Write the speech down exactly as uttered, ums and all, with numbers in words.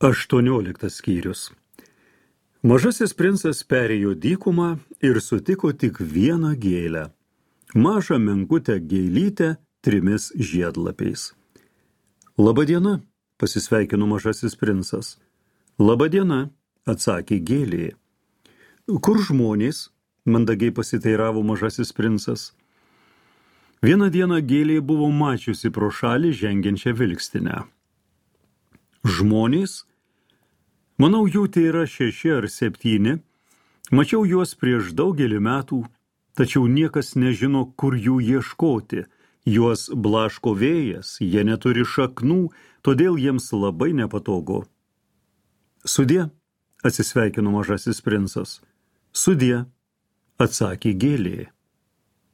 Aštuonioliktas skyrius. Mažasis princas perėjo dykumą ir sutiko tik vieną gėlę, mažą menkutę gėlytę trimis žiedlapiais. Labadiena, pasisveikino mažasis princas. Labadiena, atsakė gėlė. Kur žmonės? Mandagiai pasiteiravo mažasis princas. Vieną dieną gėlė buvo mačiusi pro šalį žengiančią vilkstinę. Žmonės? Manau, jų tai yra šeši ar septyni. Mačiau juos prieš daugelį metų, tačiau niekas nežino, kur jų ieškoti. Juos blaško vėjas, jie neturi šaknų, todėl jiems labai nepatogu. Sudie, atsisveikino mažasis princas. Sudie, atsakė gėlė.